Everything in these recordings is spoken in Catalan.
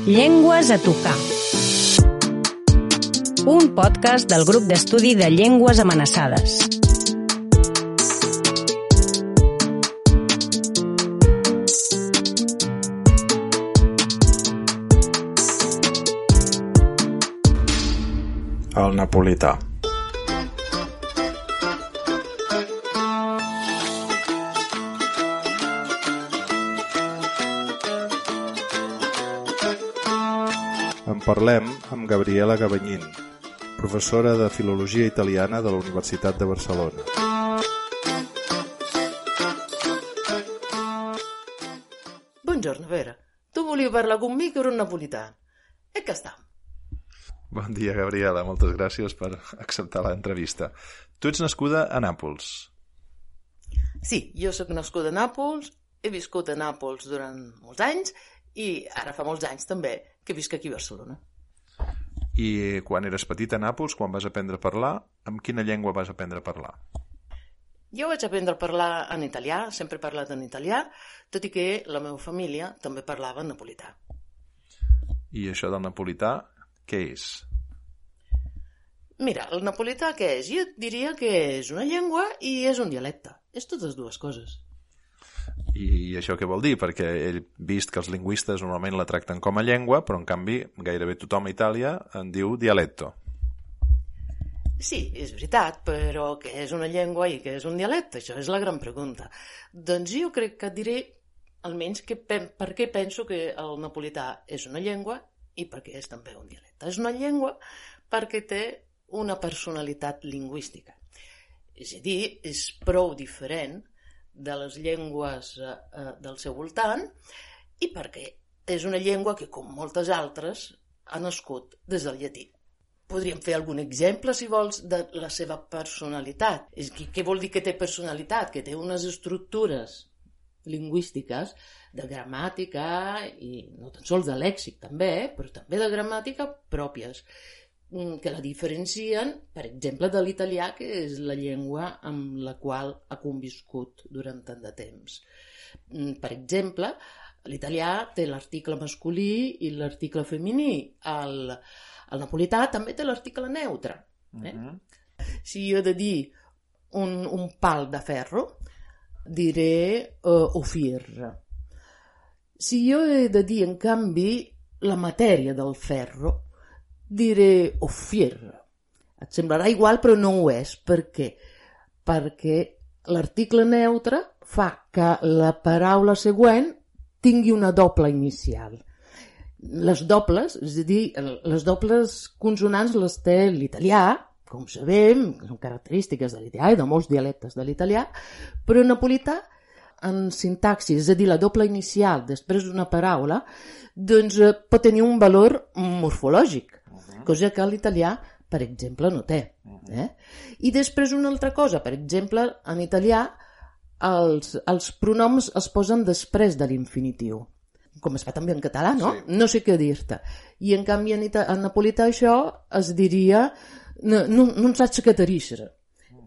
Llengües a tocar. Un podcast del grup d'estudi de llengües amenaçades. El napolità. En parlem amb Gabriela Gabanyín, professora de Filologia Italiana de la Universitat de Barcelona. Buongiorno, Vera. Tu volevi parlar con me che ero un napolitano. E che sta? Bon dia, Gabriela. Moltes gràcies per acceptar l'entrevista. Tu ets nascuda a Nàpols. Sí, jo soc nascuda a Nàpols, he viscut a Nàpols durant molts anys i ara fa molts anys també que visc aquí a Barcelona. I quan eres petita a Nàpols, quan vas aprendre a parlar, amb quina llengua vas aprendre a parlar? Jo vaig aprendre a parlar en italià, sempre he parlat en italià, tot i que la meva família també parlava en napolità. I això del napolità, què és? Mira, el napolità què és? Jo diria que és una llengua i és un dialecte. És totes dues coses. I això què vol dir? Perquè he vist que els lingüistes normalment la tracten com a llengua, però en canvi gairebé tothom a Itàlia en diu dialecto. Sí, és veritat, però què és una llengua i què és un dialecte? Això és la gran pregunta. Doncs jo crec que et diré almenys per què penso que el napolità és una llengua i perquè és també un dialecte. És una llengua perquè té una personalitat lingüística. És a dir, és prou diferent de les llengües del seu voltant i perquè és una llengua que, com moltes altres, ha nascut des del llatí. Podríem fer algun exemple, si vols, de la seva personalitat. Què vol dir que té personalitat? Que té unes estructures lingüístiques de gramàtica i no tan sols de lèxic també, però també de gramàtica pròpies, que la diferencien, per exemple, de l'italià, que és la llengua amb la qual ha conviscut durant tant de temps. Per exemple, l'italià té l'article masculí i l'article femení. El napolità també té l'article neutre. Si jo he de dir un pal de ferro, diré ofirra. Si jo he de dir, en canvi, la matèria del ferro, diré ofirra. Et semblarà igual, però no ho és. Per què? Perquè l'article neutre fa que la paraula següent tingui una doble inicial. Les dobles, és a dir, les dobles consonants les té l'italià, com sabem, són característiques de l'italià i de molts dialectes de l'italià, però en napolità, en sintaxi, és a dir, la doble inicial després d'una paraula, doncs pot tenir un valor morfològic, cosa que l'italià, per exemple, no té. I després una altra cosa, per exemple, en italià els pronoms es posen després de l'infinitiu, com es fa també en català, no? Sí. No sé què dir-te. I en canvi en napolità això es diria non saps què t'arixer.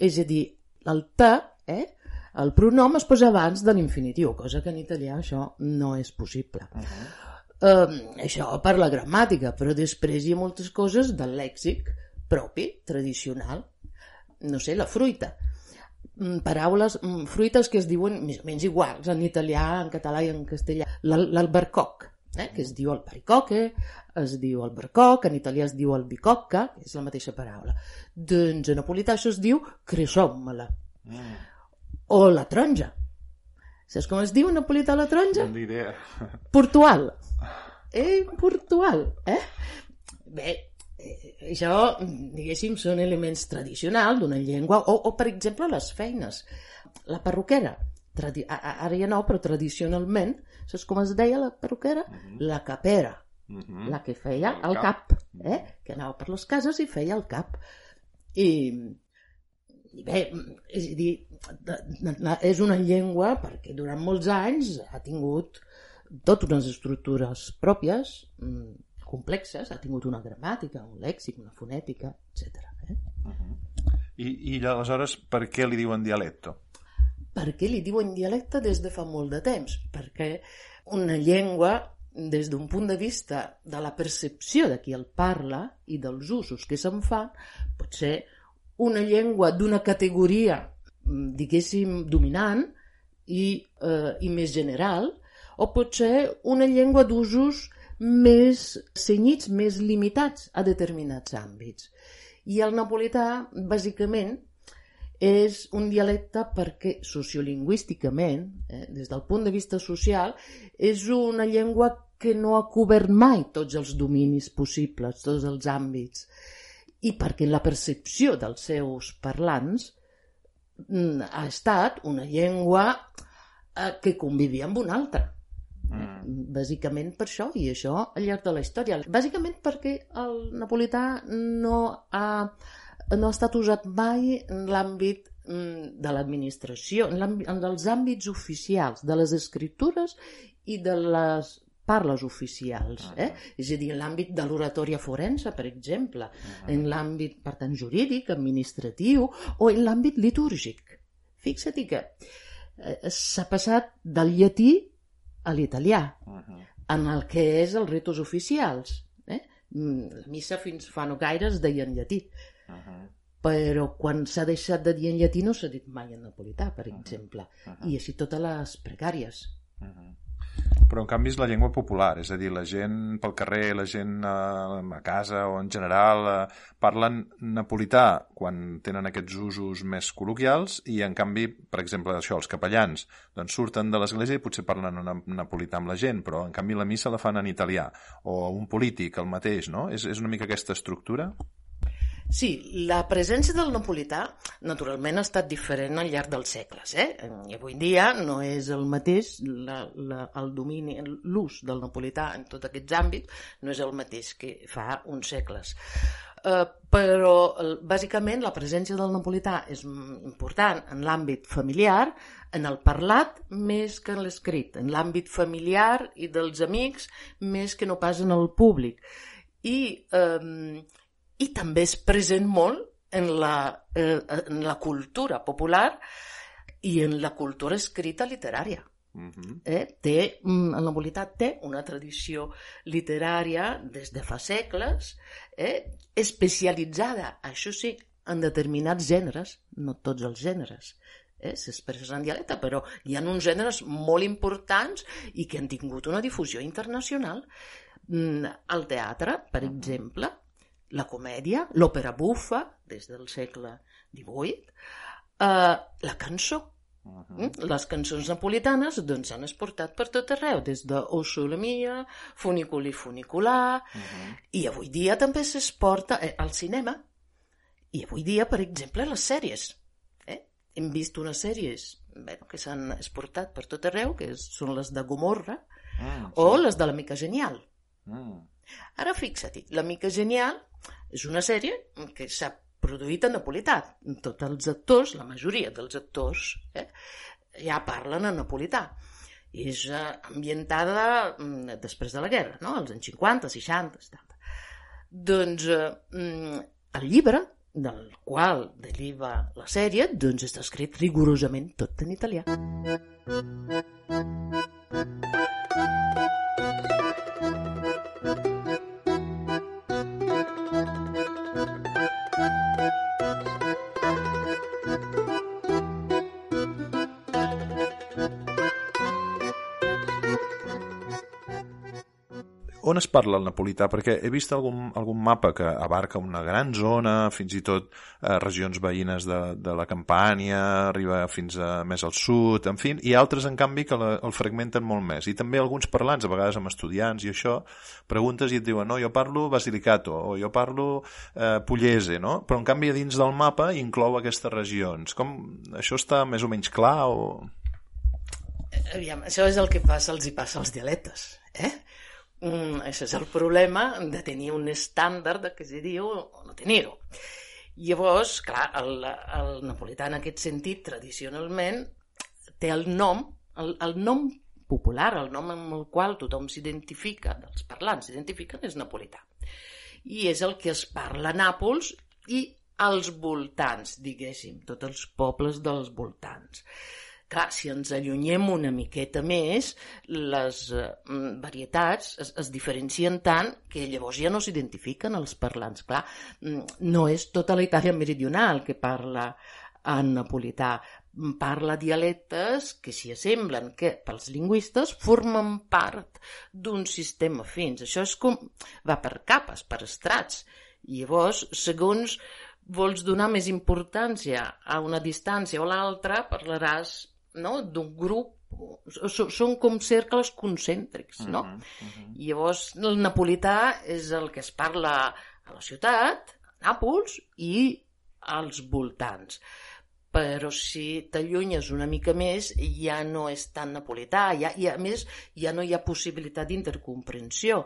És a dir, el te, el pronom es posa abans de l'infinitiu, cosa que en italià això no és possible. Això per la gramàtica, però després hi ha moltes coses del lèxic propi, tradicional. No sé, la fruita. Paraules, fruites que es diuen més o menys iguals en italià, en català i en castellà. L'albercoc, que es diu albaricoque, es diu albercoc, en italià es diu albicocca, que és la mateixa paraula. Doncs en napolità això es diu cresòmmala. O la taronja. Saps com es diu en napolità la taronja? No idea. Portual. Portual, Bé, això, diguéssim, són elements tradicionals d'una llengua, o per exemple, les feines. La perruquera, ara ja no, però tradicionalment, saps com es deia la perruquera? La capera, la que feia el cap, que anava per les cases i feia el cap. I bé, és a dir, és una llengua perquè durant molts anys ha tingut totes unes estructures pròpies, complexes, ha tingut una gramàtica, un lèxic, una fonètica, etc. I aleshores, per què li diuen dialecto? Per què li diuen dialecte des de fa molt de temps? Perquè una llengua des d'un punt de vista de la percepció de qui el parla i dels usos que se'n fan, pot ser una llengua d'una categoria, diguéssim, dominant i més general, o pot ser una llengua d'usos més cenyits, més limitats a determinats àmbits. I el napolità, bàsicament, és un dialecte perquè sociolingüísticament, des del punt de vista social, és una llengua que no ha cobert mai tots els dominis possibles, tots els àmbits, i perquè la percepció dels seus parlants ha estat una llengua que convivia amb una altra. Bàsicament per això, i això al llarg de la història. Bàsicament perquè el napolità no ha estat usat mai en l'àmbit de l'administració, en els àmbits oficials, de les escritures i de les parles oficials. És a dir, en l'àmbit de l'oratòria forense, per exemple, en l'àmbit, per tant, jurídic, administratiu, o en l'àmbit litúrgic. Fixa't que s'ha passat del llatí a l'italià, en el que és els ritus oficials. La missa fins fa no gaire es deia en llatí, però quan s'ha deixat de dir en llatí no s'ha dit mai en napolità, per exemple, i així totes les precàries. Però en canvi és la llengua popular, és a dir, la gent pel carrer, la gent a casa o en general parlen napolità quan tenen aquests usos més col·loquials i en canvi, per exemple, això, els capellans doncs surten de l'església i potser parlen en napolità amb la gent, però en canvi la missa la fan en italià, o un polític el mateix, no? És una mica aquesta estructura? Sí, la presència del napolità naturalment ha estat diferent al llarg dels segles. I avui dia no és el mateix, el domini, l'ús del napolità en tots aquests àmbits no és el mateix que fa uns segles. Però bàsicament la presència del napolità és important en l'àmbit familiar, en el parlat més que en l'escrit, en l'àmbit familiar i dels amics més que no pas en el públic. I també és present molt en la cultura popular i en la cultura escrita literària. El napolità té una tradició literària des de fa segles, especialitzada, això sí, en determinats gèneres, no tots els gèneres. S'expressa en dialecte, però hi ha uns gèneres molt importants i que han tingut una difusió internacional. El teatre, per exemple, la comèdia, l'òpera bufa, des del segle XVIII, la cançó. Les cançons napolitanes doncs, s'han exportat per tot arreu, des de O Sole Mia, Funiculi Funiculà, i avui dia també s'exporta al cinema, i avui dia, per exemple, les sèries. Hem vist unes sèries que s'han exportat per tot arreu, que són les de Gomorra, o les de l'Amica Genial. Ara fixa't, l'Amica Genial és una sèrie que s'ha produït en napolità. Tots els actors, la majoria dels actors, ja parlen en napolità. És ambientada després de la guerra, no? Als anys 50, 60, 70. Doncs el llibre del qual deriva la sèrie doncs està escrit rigorosament tot en italià. On es parla el napolità? Perquè he vist algun mapa que abarca una gran zona, fins i tot regions veïnes de la Campània, arriba fins a més al sud, en fi, i altres, en canvi, que el fragmenten molt més. I també alguns parlants, a vegades amb estudiants i això, preguntes i et diuen, no, jo parlo Basilicato, o jo parlo Pugliese, no? Però, en canvi, a dins del mapa inclou aquestes regions. Això està més o menys clar? Aviam, això és el que els hi passa als dialectes, Això és el problema de tenir un estàndard que se diu o no tenir-ho. Llavors, clar, el napolità en aquest sentit, tradicionalment, té el nom popular, el nom amb el qual tothom s'identifica, els parlants s'identifiquen, és napolità. I és el que es parla a Nàpols i als voltants, diguéssim, tots els pobles dels voltants. Clar, si ens allunyem una miqueta més, les varietats es diferencien tant que llavors ja no s'identifiquen els parlants. Clar, no és tota la Itàlia meridional que parla en napolità. Parla dialectes que s'hi assemblen, que pels lingüistes formen part d'un sistema fins. Això és com va per capes, per estrats. I llavors, segons vols donar més importància a una distància o l'altra, parlaràs, no?, d'un grup. Són com cercles concèntrics, no? I llavors el napolità és el que es parla a la ciutat, a Nàpols i als voltants. Però si t'allunyes una mica més ja no és tan napolità, i a més ja no hi ha possibilitat d'intercomprensió.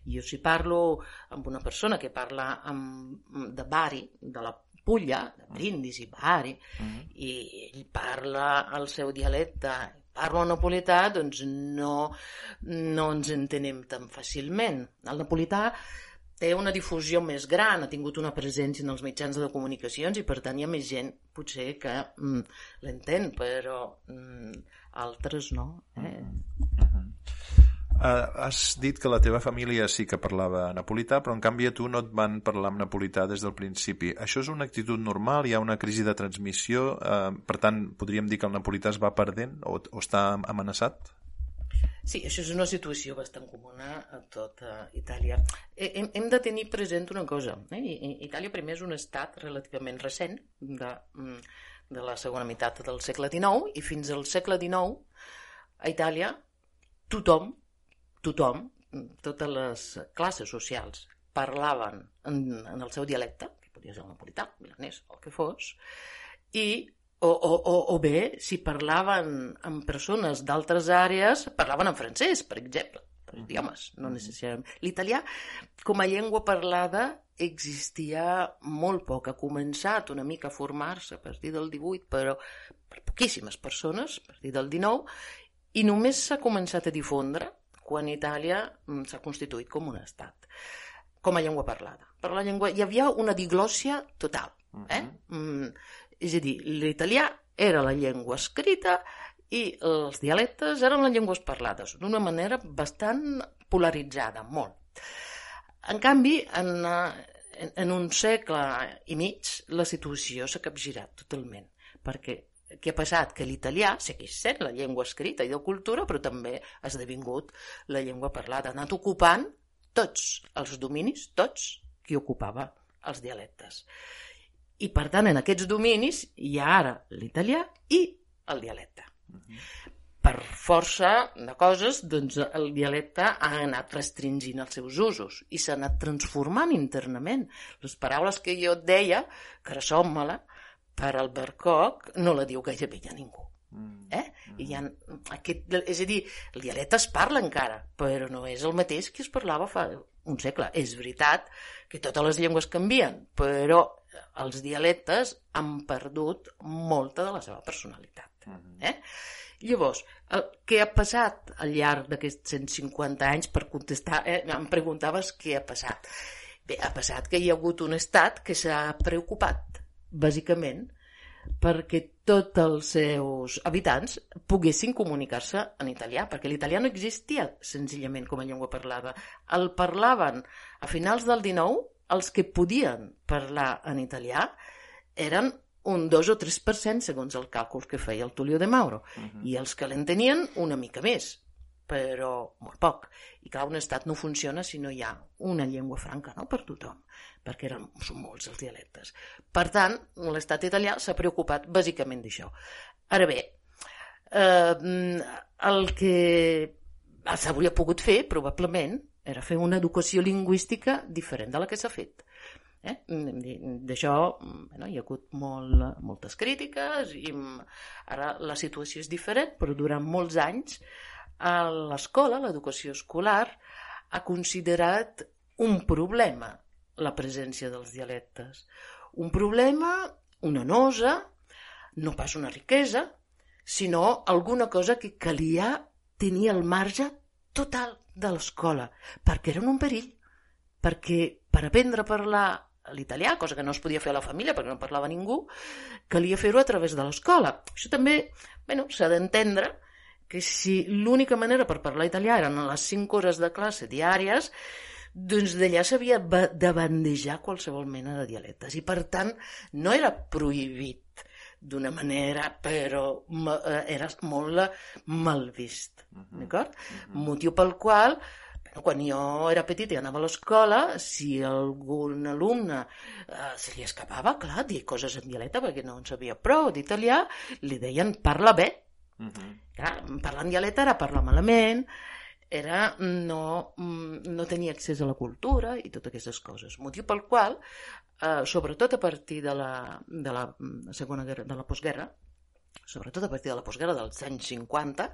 Jo si parlo amb una persona que parla de Bari, de la Puglia, de Brindisi, Bari, i ell parla el seu dialecte, parla napolità, doncs no ens entenem tan fàcilment. El napolità té una difusió més gran, ha tingut una presència en els mitjans de comunicacions i per tant hi ha més gent potser que l'entén, però altres no. Has dit que la teva família sí que parlava napolità, però en canvi a tu no et van parlar en napolità des del principi. Això és una actitud normal? Hi ha una crisi de transmissió? Per tant, podríem dir que el napolità es va perdent o està amenaçat? Sí, això és una situació bastant comuna a tota Itàlia. Hem de tenir present una cosa. Itàlia primer és un estat relativament recent de la segona meitat del segle XIX i fins al segle XIX a Itàlia tothom, totes les classes socials parlaven en el seu dialecte, que podia ser el napolità, milanès, el que fos, o bé, si parlaven amb persones d'altres àrees, parlaven en francès, per exemple, per idiomes, no necessàriament. L'italià, com a llengua parlada, existia molt poc. Ha començat una mica a formar-se a partir del 18, però per poquíssimes persones, a partir del 19, i només s'ha començat a difondre quan Itàlia s'ha constituït com un estat, com a llengua parlada. Per la llengua hi havia una diglòssia total, és a dir, l'italià era la llengua escrita i els dialectes eren les llengües parlades, d'una manera bastant polaritzada, molt. En canvi, en un segle i mig, la situació s'ha capgirat totalment, perquè què ha passat? Que l'italià segueix sent la llengua escrita i de cultura, però també ha esdevingut la llengua parlada. Ha anat ocupant tots els dominis, tots qui ocupava els dialectes. I, per tant, en aquests dominis hi ha ara l'italià i el dialecte. Per força de coses, doncs, el dialecte ha anat restringint els seus usos i s'ha anat transformant internament. Les paraules que jo et deia, carassommala, per Albercoc, no la diu gairebé ja ningú. És a dir, el dialecte es parla encara, però no és el mateix que es parlava fa un segle. És veritat que totes les llengües canvien, però els dialectes han perdut molta de la seva personalitat. Llavors, què ha passat al llarg d'aquests 150 anys? Per contestar, em preguntaves què ha passat. Bé, ha passat que hi ha hagut un estat que s'ha preocupat, bàsicament, perquè tots els seus habitants poguessin comunicar-se en italià, perquè l'italià no existia senzillament com a llengua parlada. El parlaven a finals del XIX, els que podien parlar en italià eren un 2 o 3% segons el càlcul que feia el Tullio de Mauro, i els que l'entenien una mica més, però molt poc. I clar, un estat no funciona si no hi ha una llengua franca, no?, per tothom, perquè són molts els dialectes. Per tant, l'estat italià s'ha preocupat bàsicament d'això. Ara bé, el que s'hauria pogut fer, probablement, era fer una educació lingüística diferent de la que s'ha fet. D'això hi ha hagut moltes crítiques i ara la situació és diferent, però durant molts anys l'escola, l'educació escolar, ha considerat un problema la presència dels dialectes. Un problema, una nosa, no pas una riquesa, sinó alguna cosa que calia tenir al marge total de l'escola, perquè eren un perill, perquè per aprendre a parlar l'italià, cosa que no es podia fer a la família perquè no parlava ningú, calia fer-ho a través de l'escola. Això també, s'ha d'entendre que si l'única manera per parlar italià eren les 5 hores de classe diàries, doncs d'allà s'havia de bandejar qualsevol mena de dialectes i per tant no era prohibit d'una manera, però era molt mal vist, d'acord? Motiu pel qual quan jo era petit i anava a l'escola, si algun alumne se li escapava, clar, dir coses en dialecte perquè no en sabia prou d'italià, li deien parla bé. Clar, parlar en dialecte era parlar malament, era no tenir accés a la cultura i totes aquestes coses. Motiu pel qual, sobretot a partir de la Segona Guerra, de la postguerra, sobretot a partir de la postguerra dels anys 50,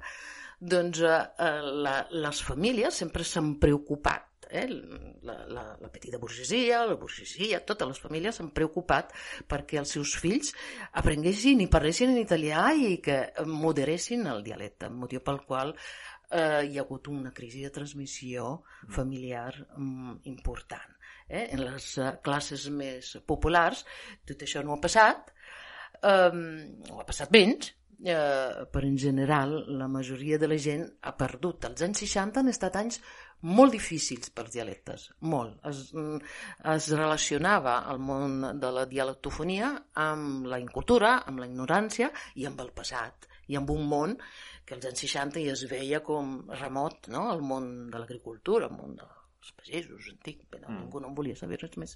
doncs les famílies sempre s'han preocupat, la petita burgesia, la burgesia, totes les famílies s'han preocupat perquè els seus fills aprenguessin i parlessin en italià i que moderessin el dialecte, motiu pel qual hi ha hagut una crisi de transmissió familiar important. En les classes més populars tot això no ha passat, o ha passat menys, però en general la majoria de la gent ha perdut. Els anys 60 han estat anys molt difícils pels dialectes, molt. Es relacionava el món de la dialectofonia amb la incultura, amb la ignorància i amb el passat, i amb un món que als anys 60 ja es veia com remot, no? El món de l'agricultura, el món dels pagesos antics, però ningú no en volia saber res més.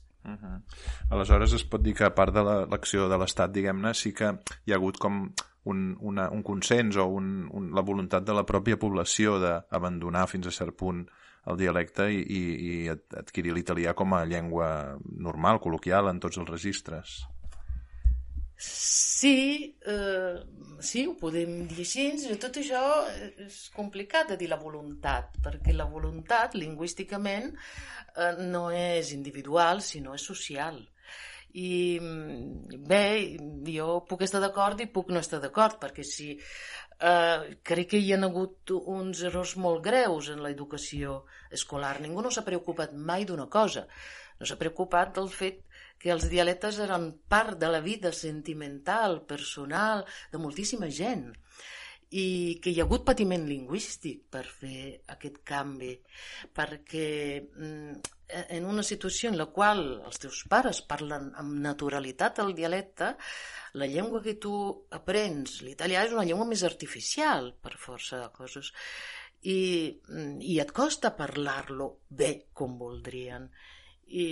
Aleshores es pot dir que a part de l'acció de l'Estat, diguem-ne, sí que hi ha hagut com un consens o la voluntat de la pròpia població d'abandonar fins a cert punt el dialecte i adquirir l'italià com a llengua normal, col·loquial en tots els registres. Sí, ho podem dir així. Tot això és complicat de dir la voluntat, perquè la voluntat, lingüísticament, no és individual, sinó és social. I bé, jo puc estar d'acord i puc no estar d'acord, perquè si crec que hi ha hagut uns errors molt greus en l'educació escolar. Ningú no s'ha preocupat mai d'una cosa. No s'ha preocupat del fet que els dialectes eren part de la vida sentimental, personal, de moltíssima gent, i que hi ha hagut patiment lingüístic per fer aquest canvi, perquè en una situació en la qual els teus pares parlen amb naturalitat el dialecte, la llengua que tu aprens, l'italià, és una llengua més artificial, per força de coses, i et costa parlar-lo bé com voldrien. I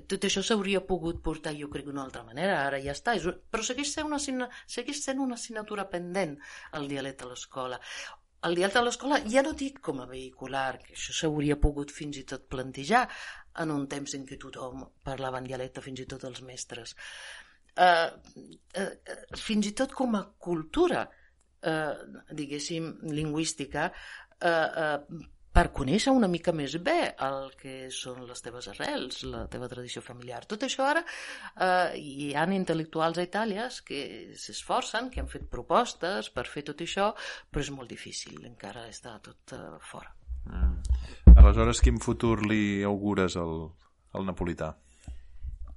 tot això s'hauria pogut portar, jo crec, d'una altra manera, ara ja està, però segueix sent una assignatura pendent el dialecte a l'escola. El dialecte a l'escola ja no dic com a vehicular, que això s'hauria pogut fins i tot plantejar en un temps en què tothom parlava en dialecte, fins i tot els mestres. Fins i tot com a cultura, diguéssim, lingüística, per conèixer una mica més bé el que són les teves arrels, la teva tradició familiar. Tot això ara hi ha intel·lectuals a Itàlia que s'esforcen, que han fet propostes per fer tot això, però és molt difícil, encara està tot fora. Aleshores, quin futur li augures al napolità?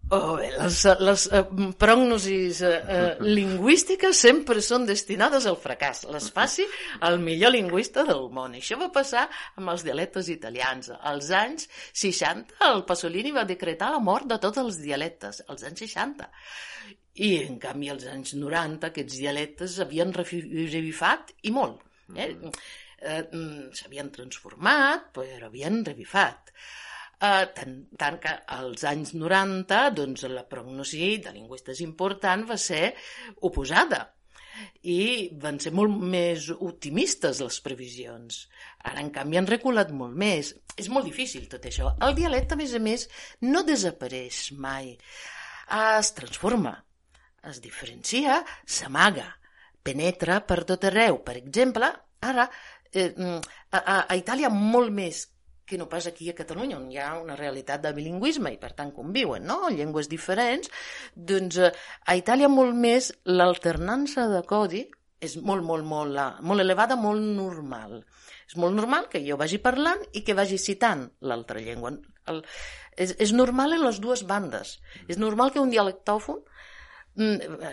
Les prognosis lingüístiques sempre són destinades al fracàs. Les faci el millor lingüista del món. Això va passar amb els dialectes italians. Als anys 60 el Pasolini va decretar la mort de tots els dialectes, als anys 60. I en canvi als anys 90 aquests dialectes havien revifat i molt. S'havien transformat, però havien revifat. Tant que als anys 90 doncs, la prognosi de lingüistes important va ser oposada i van ser molt més optimistes les previsions. Ara, en canvi, han reculat molt més. És molt difícil tot això. El dialecte, a més, no desapareix mai. Es transforma, es diferencia, s'amaga, penetra per tot arreu. Per exemple, ara, a Itàlia molt més que no pas aquí a Catalunya, on hi ha una realitat de bilingüisme i per tant conviuen, no? Llengües diferents, doncs a Itàlia molt més l'alternança de codi és molt elevada, molt normal. És molt normal que jo vagi parlant i que vagi citant l'altra llengua. És normal en les dues bandes. És normal que un dialectòfon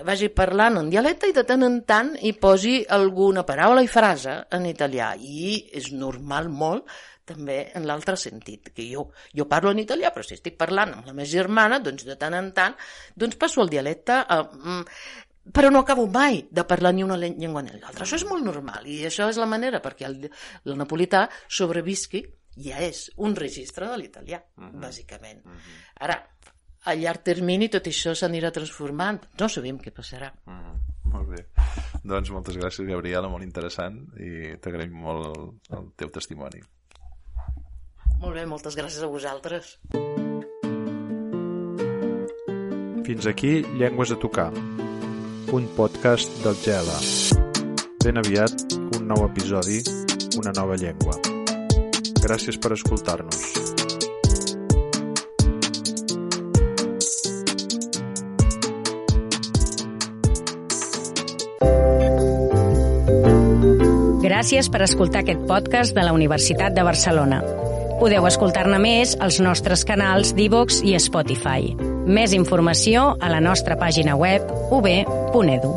vagi parlant en dialecte i de tant en tant hi posi alguna paraula i frase en italià. I és normal molt també en l'altre sentit, que jo parlo en italià, però si estic parlant amb la meva germana, doncs de tant en tant passo el dialecte, però no acabo mai de parlar ni una llengua ni l'altra. Això és molt normal i això és la manera perquè el napolità sobrevisqui, ja és un registre de l'italià, bàsicament. Ara, a llarg termini tot això s'anirà transformant. No sabem què passarà. Molt bé. Doncs moltes gràcies, Gabriela, molt interessant i t'agraïm molt el teu testimoni. Molt bé, moltes gràcies a vosaltres. Fins aquí Llengües a tocar, un podcast del GELA. Ben aviat, un nou episodi, una nova llengua. Gràcies per escoltar-nos. Gràcies per escoltar aquest podcast de la Universitat de Barcelona. Podeu escoltar-ne més als nostres canals d'iVoox i Spotify. Més informació a la nostra pàgina web ub.edu.